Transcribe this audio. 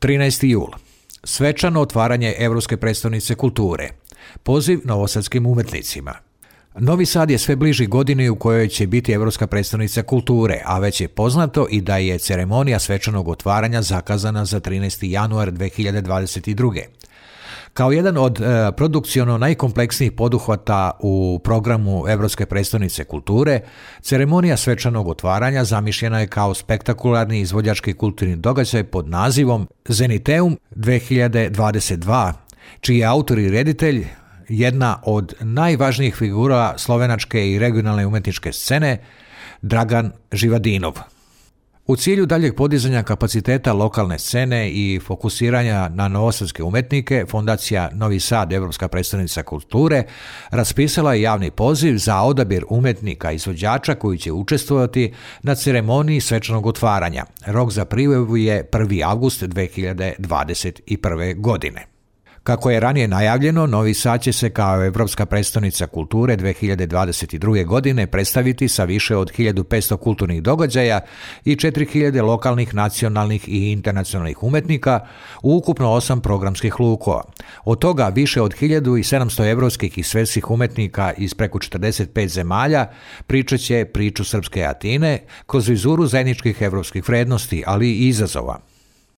13. jul. Svečano otvaranje Europske prestonice kulture. Poziv novosadskim umetnicima. Novi Sad je sve bliži godini u kojoj će biti Europska prestolnica kulture, a već je poznato i da je ceremonija svečanog otvaranja zakazana za 13. januar 2022. Kao jedan od produkciono najkompleksnijih poduhvata u programu Europske prestolnice kulture, ceremonija svečanog otvaranja zamišljena je kao spektakularni izvođački kulturni događaj pod nazivom Zeniteum 2022, čiji je autor i reditelj jedna od najvažnijih figura slovenačke i regionalne umetničke scene, Dragan Živadinov. U cilju daljeg podizanja kapaciteta lokalne scene i fokusiranja na novosadske umetnike, Fondacija Novi Sad, Europska prestolnica kulture, raspisala je javni poziv za odabir umetnika izvođača koji će učestvovati na ceremoniji svečanog otvaranja. Rok za prijavu je 1. avgust 2021. godine. Kako je ranije najavljeno, Novi Sad će se kao Europska prestolnica kulture 2022. godine predstaviti sa više od 1500 kulturnih događaja i 4000 lokalnih, nacionalnih i internacionalnih umetnika u ukupno 8 programskih lukova. Od toga više od 1700 evropskih i svetskih umetnika iz preko 45 zemalja pričat će priču srpske Atine kroz vizuru zajedničkih evropskih vrednosti, ali i izazova.